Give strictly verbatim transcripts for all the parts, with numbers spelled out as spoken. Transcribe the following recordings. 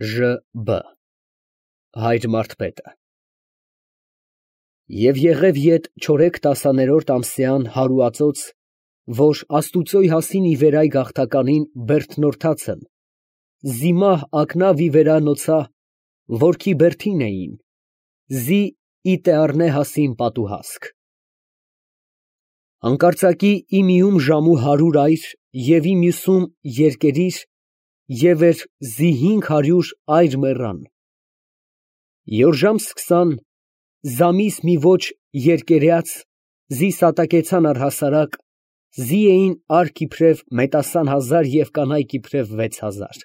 Ժ B Հայր Մարդպետը Եվ եղև յետ չորեք տասաներորդ ամսեան հարուածոց, որ աստուծոյ հասին ի վերայ գաղթականին բերդնորդացն, զիմահ ակնավ ի վերա նոցա, որքի բերդին էին, զի ի տեառնե հասին պատուհասք։ Հանկարծակի ի միում ժամու հարյուր այր և ի մյուսում երկերիր և էր զի հինգ հարյուր այր մեռան։ Յոր ժամ սկսան, զամիս մի ոչ երկերյաց, զի սատակեցան առհասարակ, զի էին արք իբրև մետասան հազար և կանայք իբրև վեց հազար։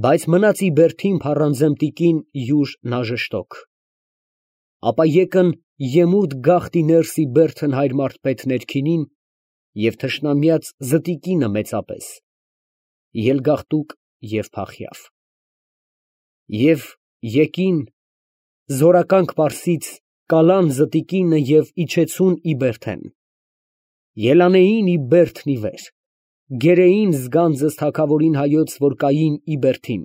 Բայց մնաց ի բերդին փառանձեմ յուր նաժշտոք։ Ապա եկն եմուրտ գաղթի ներս ի բերդն հայր Մարդպետ ներքինին և թշնամյաց զտիկինը մեծապես, ելգաղտուկ և փախյավ։ Եվ եկին, զորականք պարսից, կալան զտիկինը և իջեցուն ի բերդեն, ելանեին ի բերդն ի վեր, գերեին զգանձս թագավորին հայոց, որ կային ի բերդին,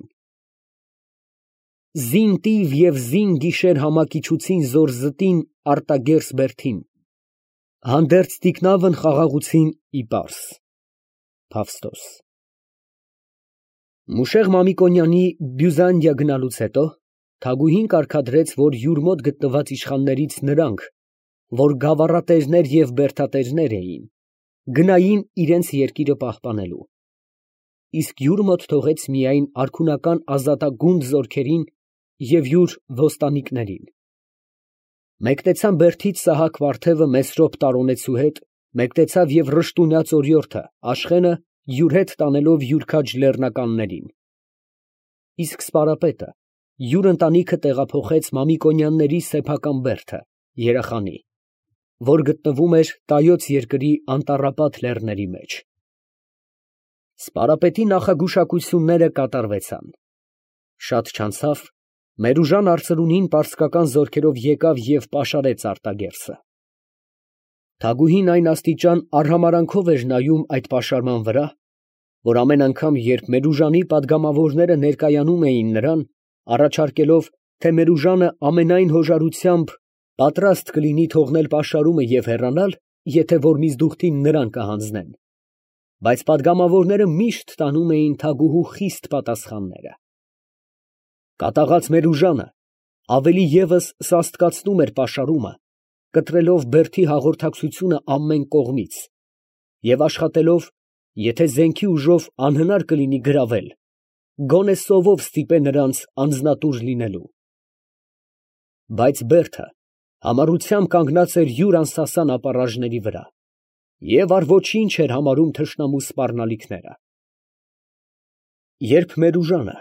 զին տիվ և զին գիշեր համակիչուցին զոր զտին արտագերս բերդին, հանդերձ թիկնավն խաղաղեցին ի պարս։ Փավստոս Մուշեղ Մամիկոնյանի Բյուզանդիա գնալուց հետո թագուհին կարգադրեց, որ յուր մոտ գտնված իշխաններից նրանք, որ գավառատերներ և բերդատերներ էին, գնային իրենց երկիրը պահպանելու, իսկ յուր մոտ թողեց միայն արքունական ազատագունդ զորքերին և յուր ոստանիկներին։ Մեկնեցան բերդից Սահակ վարդևը Մեսրոպ տարոնեցու հետ, մեկնեցավ և Ռշտունյա ծորիորդը Աշխենը յուր հետ տանելով յուր քաջ լեռնականներին, իսկ Սպարապետը յուր ընտանիքը տեղափոխեց Մամիկոնյանների սեփական բերդը, Երախանի, որ գտնվում էր Տայոց երկրի անտառապատ լեռների մեջ։ Սպարապետի նախագուշակությունները կատարվեցան։ Շատ չանցավ, Մերուժան արծրունին պարսկական զորքերով եկավ և պաշարեց արտագերսը։ Թագուհին այն աստիճան արհամարանքով էր նայում այդ պաշարման վրա, որ ամեն անգամ, երբ Մերուժանի պատգամավորները ներկայանում էին նրան, առաջարկելով, թե Մերուժանը ամենայն հոժարությամբ պատրաստ կլինի թողնել պաշարումը և հեռանալ, եթե որ միզդուխտին նրան կհանձնեն, բայց պատգամավորները միշտ տանում էին թագուհու խիստ պատասխանները։ Կատաղած Մերուժանը ավելի ևս սաստկացնում էր պաշարումը, կտրելով բերդի հաղորդակցությունը ամեն կողմից և աշխատելով, եթե զենքի ուժով անհնար կլինի գրավել, գոնե սովով ստիպե նրանց անձնատուր լինելու։ Բայց բերդը համառությամբ կանգնած էր յուր անսասան ապառաժների վրա և առ ոչինչ էր համարում թշնամու սպառնալիքները։ Երբ Մերուժանը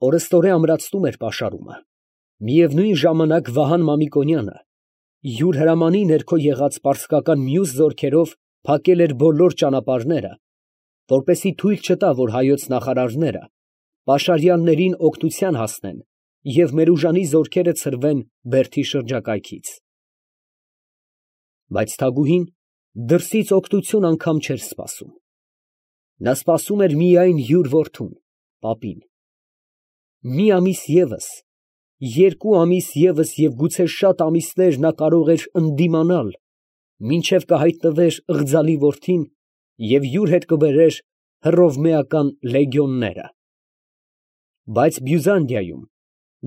օրըստօրե ամրացնում էր պաշարումը, միևնույն ժամանակ Վահան Մամիկոնյանը յուր հրամանի ներքո եղած պարսկական մյուս զորքերով փակել էր բոլոր ճանապարհները, որպեսզի թույլ չտա, որ հայոց նախարարները պաշարյաններին օգնության հասնեն և Մերուժանի զորքերը ցրվեն բերդի շրջակայքից։ Բայց թագուհին դրսից օգնություն անգամ չէր սպասում. նա սպասում էր միայն յուր որդուն, պապին։ Մի ամիս ևս, երկու ամիս ևս և գուցե շատ ամիսներ նա կարող էր ընդդիմանալ, մինչև կհայտնվեր ըղձալի որդին և յուր հետ կբերեր հռովմեական լեգիոնները։ Բայց Բյուզանդիայում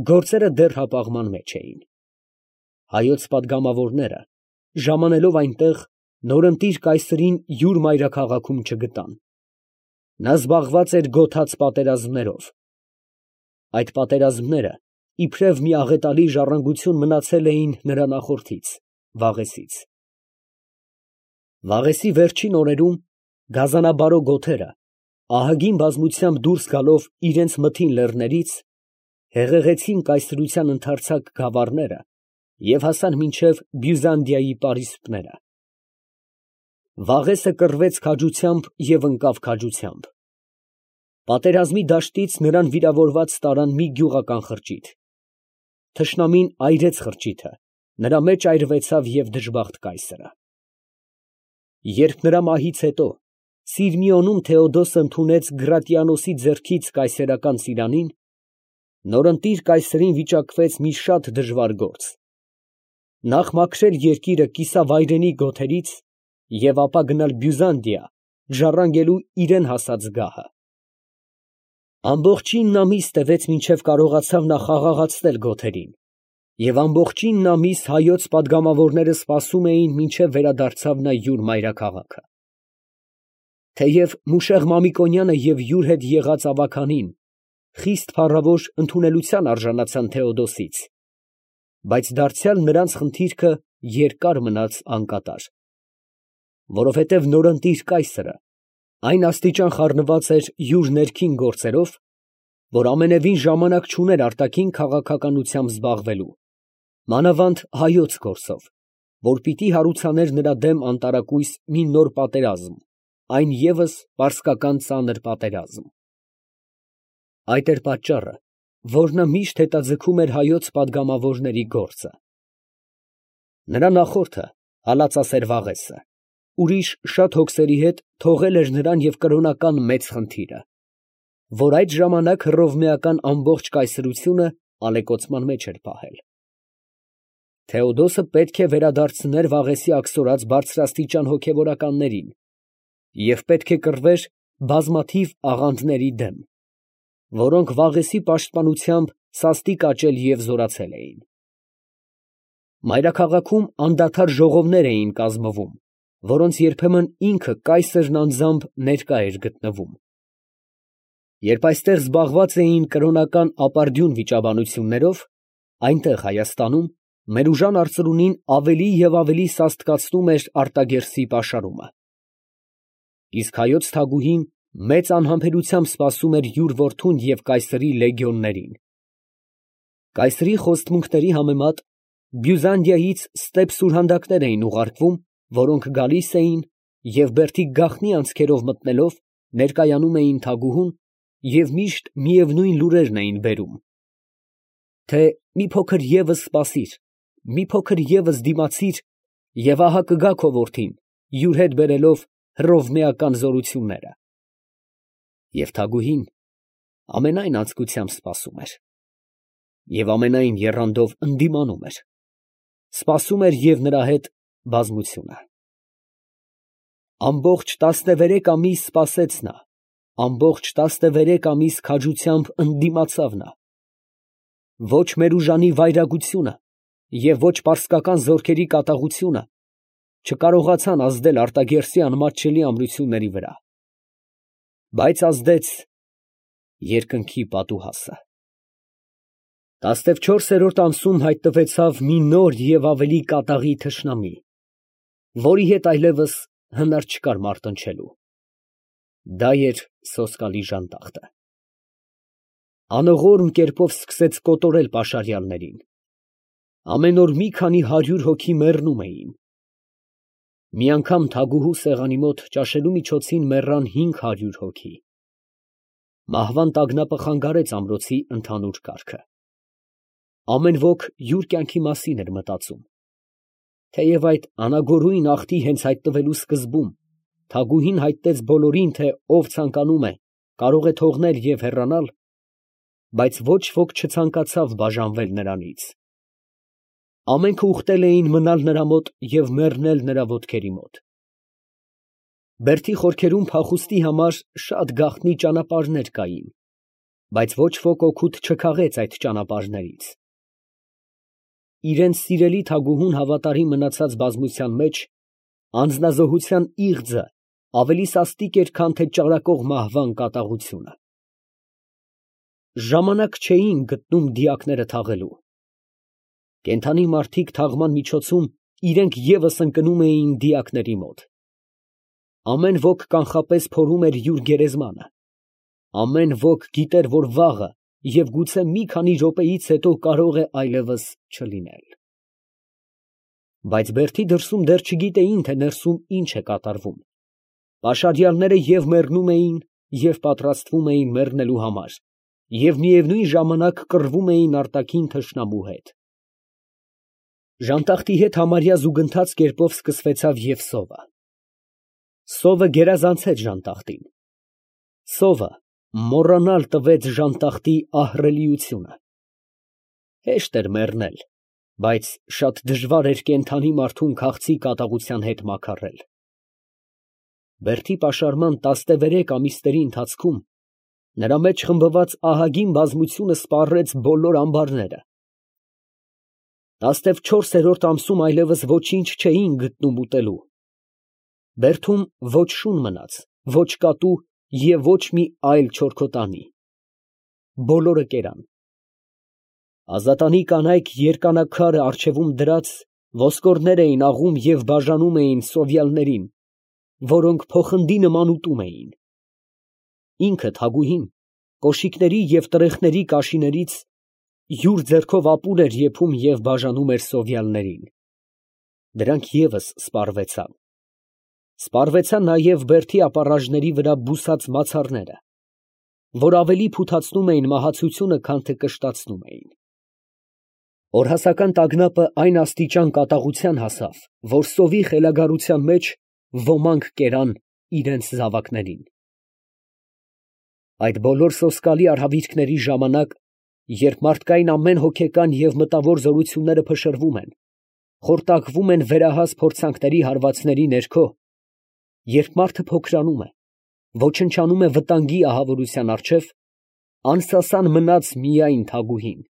գործերը դեռ հապաղման մեջ էին։ Հայոց պատգամավորները, ժամանելով այնտեղ, նորընտիր կայսրին յուր մայրաքաղաքում չգտան։ Նա զբաղված էր գոթած պատերազմներով։ Այդ պատերազմները իբրև մի աղետալի ժառանգություն մնացել էին նրա նախորդից՝ Վաղեսից։ Վաղեսի վերջին օրերում գազանաբարո գոթերը, ահագին բազմությամբ դուրս գալով իրանց մթին լեռներից, հեղեղեցին կայսրության ընդարձակ գավառները և հասան մինչև Բյուզանդիայի պարիսպները։ Վաղեսը կռվեց քաջությամբ և ընկավ քաջությամբ։ Պատերազմի դաշտից նրան վիրավորված տարան մի գյուղական խրճիթ։ Թշնամին այրեց խրճիթը, նրա մեջ այրվեցավ և դժբախտ կայսրը։ Երբ նրա մահից հետո Սիրմիոնում Թեոդոսը ընդունեց Գրատիանոսի ձեռքից կայսերական ծիրանին, նորընտիր կայսերին վիճակվեց մի շատ դժվար գործ. նախ մաքրել երկիրը կիսավայրենի գոթերից և ապա գնալ Բյուզանդիա ժառանգելու իրան հասած գահը։ Ամբողջին ամիս տևեց, մինչև կարողացավ նա խաղաղացնել գոթերին, և ամբողջին ամիս հայոց պատգամավորները սպասում էին, մինչև վերադարձավ նա յուր մայրաքաղաքը։ Թեև Մուշեղ Մամիկոնյանը և յուր հետ եղած ավագանին խիստ փառավոր ընդունելության արժանացան Թեոդոսից, բայց դարձյալ նրանց խնդիրքը երկար մնաց անկատար, որովհետև նորընտիր կայսրը այն աստիճան խառնված էր յուր ներքին գործերով, որ ամենևին ժամանակ չուներ արտաքին քաղաքականությամբ զբաղվելու, մանավանդ հայոց գործով, որ պիտի հարուցաներ նրա դեմ անտարակույս մի նոր պատերազմ, այն ևս պարսկական ծանր պատերազմ։ Այդ էր պատճառը, որ նա միշտ հետաձգում էր հայոց պատգամավորների գործը։ Նրա նախորդը, հալածասեր Վաղեսը, ուրիշ շատ հոգսերի հետ թողել էր նրան և կրոնական մեծ խնդիրը, որ այդ ժամանակ հռովմեական ամբողջ կայսրությունը ալեկոծման մեջ էր պահել։ Թեոդոսը պետք է վերադարձներ Վաղեսի աքսորած բարձրաստիճան հոգևորականներին և պետք է կռվեր բազմաթիվ աղանդների դեմ, որոնք Վաղեսի պաշտպանությամբ սաստիկ աճել և զորացել էին։ Մայրաքաղաքում անդադար ժողովներ էին կազմվում, որոնց երբեմն ինքը կայսրն անձամբ ներկա էր գտնվում։ Երբ այստեղ զբաղված էին կրոնական ապարդյուն վիճաբանություններով, այնտեղ Հայաստանում Մերուժան արծրունին ավելի և ավելի սաստկացնում էր Արտագերսի պաշարումը։ Իսկ հայոց թագուհին մեծ անհամբերությամբ սպասում էր յուր որդուն և կայսրի լեգիոններին։ Կայսրի խոստմունքների համեմատ Բյուզանդիայից ստեպ սուրհանդակներ էին ուղարկվում, որոնք գալիս էին և բերդի գաղտնի անցքերով մտնելով ներկայանում էին թագուհուն և միշտ միևնույն լուրերն էին բերում, թե մի փոքր ևս սպասիր, մի փոքր ևս դիմացիր, և ահա կգա քո որդին, յուր հետ բերելով հռովմեական զորությունները։ Եվ թագուհին ամենայն անձկությամբ սպասում էր, և ամենայն եռանդով ընդդիմանում էր, սպասում էր և նրա հետ բազմությունը։ Ամբողջ տասնևերեք ամիս սպասեց նա, ամբողջ տասնևերեք ամիս քաջությամբ ընդդիմացավ նա։ Ոչ Մերուժանի վայրագությունը և ոչ պարսկական զորքերի կատաղությունը չկարողացան ազդել Արտագերսի անմատչելի ամրությունների վրա, բայց ազդեց երկնքի պատուհասը։ Տասնվչորսերորդ ամսում հայտնվեցավ մի նոր և ավելի կատաղի թշնամի, որի հետ այլևս հնար չկար մարտնչելու. դա էր սոսկալի ժանտախտը։ Անողորմ կերպով սկսեց կոտորել պաշարյալներին։ Ամեն օր մի քանի հարյուր հոգի մեռնում էին։ Մի անգամ թագուհու սեղանի մոտ ճաշելու միջոցին մեռան հինգ հարյուր հոգի։ Մահվան տագնապը խանգարեց ամրոցի ընդհանուր կարգը։ Ամեն ոք յուր կյանքի մասին էր մտածում։ Թեև այդ անագորույն աղթի հենց հայտնվելու սկզբում թագուհին հայտնեց բոլորին, թե ով ցանկանում է, կարող է թողնել և հեռանալ, բայց ոչ ոք չցանկացավ բաժանվել նրանից։ Ամենքը ուխտել էին մնալ նրա մոտ և մեռնել նրա ոտքերի մոտ։ Բերդի խորքերում փախուստի համար շատ գաղտնի ճանապարհներ կային, բայց ոչ ոք օգուտ չքաղեց այդ ճանապարհներից։ Իրենց սիրելի թագուհուն հավատարիմ մնացած բազմության մեջ անձնազոհության իղձը ավելի սաստիկ էր, քան թե ճարակող մահվան կատաղությունը։ Ժամանակ չէին գտնում դիակները թաղելու։ Կենդանի մարդիկ թաղման միջոցում իրենք ևս ընկնում էին դիակների մոտ։ Ամեն ոք կանխապես փորում էր յուր գերեզմանը։ Ամեն ոք գիտեր, որ վաղը և գուցե մի քանի րոպեից հետո կարող է այլևս չլինել։ Բայց բերդի դրսում դեռ չգիտեին, թե ներսում ինչ է կատարվում։ Պաշարյալները և մեռնում էին, և պատրաստվում էին մեռնելու համար, և միևնույն ժամանակ կռվում էին արտաքին թշնամու հետ։ Ժանտախտի հետ համարյա զուգընթաց կերպով սկսվեցավ և սովը։ Սովը գերազանցեց ժանտախտին։ Սովը մոռանալ տվեց ժանտախտի ահռելիությունը։ Հեշտ էր մեռնել, բայց շատ դժվար էր կենդանի մարդուն քաղցի կատաղության հետ մաքարել։ Բերդի պաշարման տասնևերեք ամիսների ընթացքում նրա մեջ խմբված ահագին բազմությունը սպառեց բոլոր ամբարները։ Տասնչորսերորդ ամսում այլևս ոչինչ չէին գտնում ուտելու։ Բերդում ոչ շուն մնաց, ոչ կատու և ոչ մի այլ չորքոտանի։ Բոլորը կերան։ Ազատանի կանայք երկանաքարը առջևում դրած ոսկորներ էին աղում և բաժանում էին սովյալներին, որոնք փոխնդի նման ուտում էին։ Ինքը Թագուհին կոշիկների և տրեխների կաշիներից յուր ձեռքով ապուր էր եփում և բաժանում էր սովյալներին։ Դրանք ևս սպառվեցան։ Սպառվեցան նաև բերդի ապառաժների վրա բուսած մացառները, որ ավելի փութացնում էին մահացությունը, քան թե կշտացնում էին։ Օրհասական տագնապը այն աստիճան կատաղության հասավ, որ սովի խելագարության մեջ ոմանք կերան իրենց զավակներին։ Այդ բոլոր սոսկալի արհավիրքների ժամանակ, երբ մարդկային ամեն հոգեկան և մտավոր զորությունները փշրվում են, խորտակվում են վերահաս փորձանքների հարվածների ներքո, երբ մարդը փոքրանում է, ոչնչանում է վտանգի ահավորության առջև, անսասան մնաց միայն Թագուհին։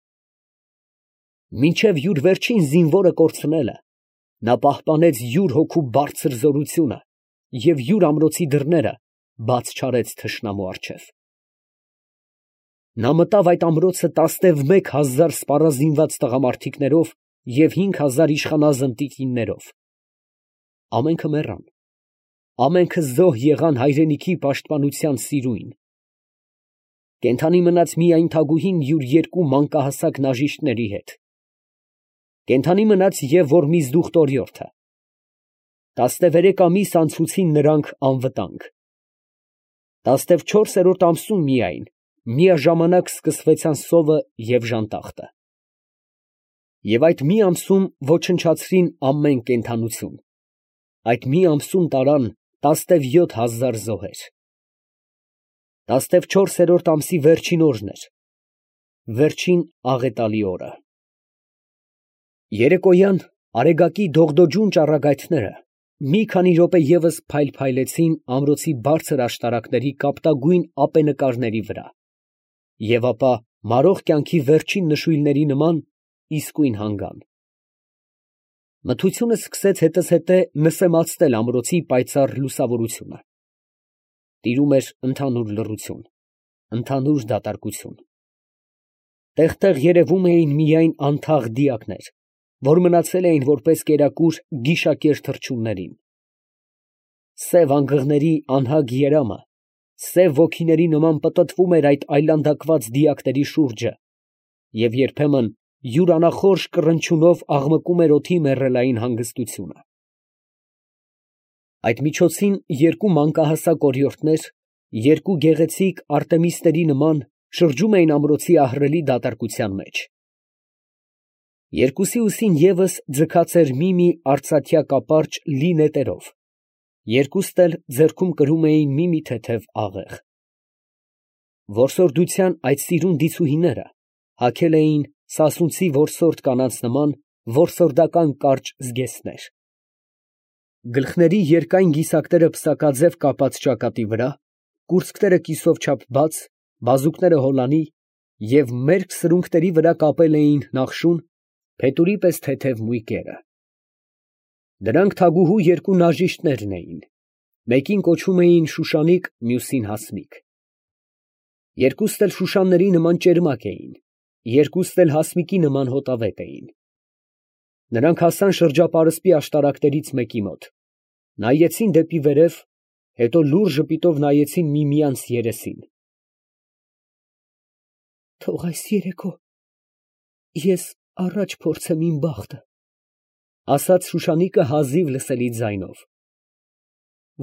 Մինչև յուր վերջին զինվորը կորցնելը, նա պահպանեց յուր հոգու բարձր զորությունը և յուր ամրոցի դռները բաց չարեց թշնամու առջև։ Նա մտավ այդ ամրոցը տասնևմեկ հազար սպառազինված տղամարդիկներով և հինգ հազար իշխանազն տիկիններով։ Ամենքը մեռան, ամենքը զոհ եղան հայրենիքի պաշտպանության սիրույն։ Կենդանի մնաց միայն Թագուհին յուր երկու մանկահասակ նաժիշտների հետ։ Կենդանի մնաց և Որմիզդուխ տորիորդը։ Տասնևերեք ամիս անցուցին նրանք անվտանգ։ Տասնչորսերորդ ամսում միայն միաժամանակ սկսվեցան սովը և ժանտախտը։ Եվ այդ մի ամսում ոչնչացրին ամեն կենդանություն, այդ մի ամսում տարան տասնևյոթ հազար զոհեր։ Տասնչորսերորդ ամսի վերջին օրն էր, վերջին աղետալի օրը։ Երեկոյան արեգակի դողդոջուն ճառագայթները մի քանի րոպե ևս փայլփայլեցին ամրոցի բարձր աշտարակների կապտագույն ապենկարների վրա, և ապա մարող կյանքի վերջին նշույլների նման իսկույն հանգան։ Մթությունը սկսեց հետզհետե նսեմացնել ամրոցի պայծառ լուսավորությունը։ Տիրում էր ընդհանուր լռություն, ընդհանուր դատարկություն։ Տեղ֊տեղ երևում էին միայն անթաղ դիակներ, որ մնացել էին որպես կերակուր գիշակեր թռչուններին։ Սև անգղների անհագ երամը սև ոգիների նման պտտվում էր այդ այլանդակված դիակների շուրջը և երբեմն յուր անախորժ կռնչյունով աղմկում էր օդի մեռելային հանգստությունը։ Այդ միջոցին երկու մանկահասակ օրիորդներ, երկու գեղեցիկ արտեմիսների նման, շրջում էին ամրոցի ահռելի դատարկության մեջ։ Երկուսի ուսին ևս ձգած էր մի֊մի արծաթյա կապարճ լի նետերով, երկուստ էլ ձեռքում կրում էին մի֊մի թեթև աղեղ։ Որսորդության այդ սիրուն դիցուհիները հագել էին սասունցի որսորդ կանանց նման որսորդական կարճ զգեստներ։ Գլխների երկայն գիսակները պսակաձև կապած ճակատի վրա, կուրծքները կիսով չափ բաց, բազուկները հոլանի և մերկ սրունքների վրա կապել էին նախշուն, փետուրի պես թեթև մույկերը։ Դրանք Թագուհու երկու նաժիշտներն էին, մեկին կոչում էին Շուշանիկ, մյուսին Հասմիկ։ Երկուստ էլ շուշանների նման ճերմակ էին, երկուստ էլ հասմիկի նման հոտավետ էին։ Նրանք հասան շրջապարսպի աշտարակներից մեկի մոտ, նայեցին դեպի վերև, հետո լուռ ժպիտով նայեցին միմյանց երեսին։ «Թող այս երեկո ես առաջ փորձեմ իմ բախտը», ֊ ասաց Շուշանիկը հազիվ լսելի ձայնով։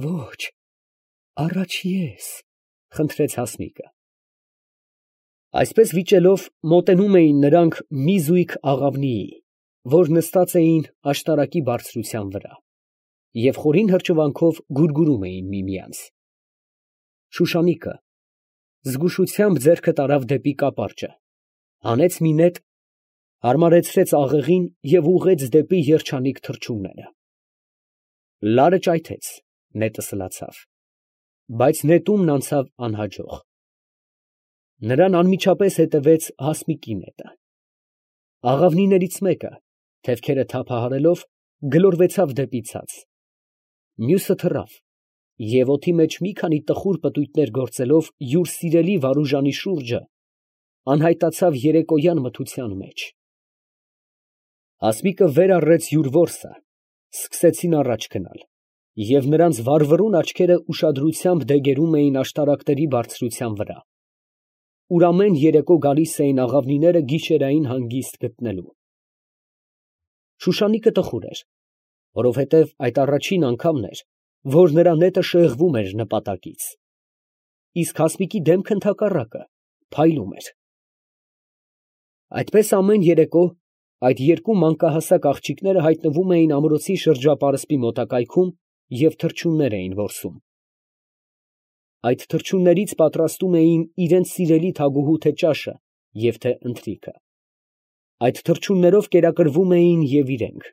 ֊ Ո՛չ, առաջ ես, ֊ խնդրեց Հասմիկը։ Այսպես վիճելով, մոտենում էին նրանք մի զույգ աղավնիի, որ նստած էին աշտարակի բարձրության վրա։ և խորին հրճվանքով գուրգուրում էին միմյանց։ Շուշանիկը զգուշությամբ ձեռքը տարավ դեպի կապարճը, հանեց մի նետ, հարմարեցրեց աղեղին և ուղղեց դեպի երջանիկ թռչունները։ Լարը ճայթեց, նետը սլացավ, բայց նետումն անցավ անհաջող։ Նրան անմիջապես հետևեց հասմիկի նետը։ Աղավնիներից մեկը, թևքերը թափահարելով, գլորվեցավ դեպի ցած, մյուսը թռավ և օդի մեջ մի քանի տխուր պտույտներ գործելով յուր սիրելի Վարուժանի շուրջը, անհայտացավ երեկոյան մթության մեջ։ Հասմիկը վեր առեց յուր որսը, սկսեցին առաջ գնալ, և նրանց վառվռուն աչքերը ուշադրությամբ դեգերում էին աշտարակների բարձրության վրա, ուր ամեն երեկո գալիս էին աղավնիները գիշերային հանգիստ գտնելու։ Շուշանիկը տխուր էր, որովհետև այդ առաջին անգամն էր, որ նրա նետը շեղվում էր նպատակից, իսկ հասմիկի դեմքը ընդհակառակը, փայլում էր։ Այդպես ամեն երեկո այդ երկու մանկահասակ աղջիկները հայտնվում էին ամրոցի շրջապարսպի մոտակայքում և թռչուններ էին որսում։ Այդ թռչուններից պատրաստում էին իրենց սիրելի թագուհու թե ճաշը և թե ընթրիքը, այդ թռչուններով կերակրվում էին և իրենք։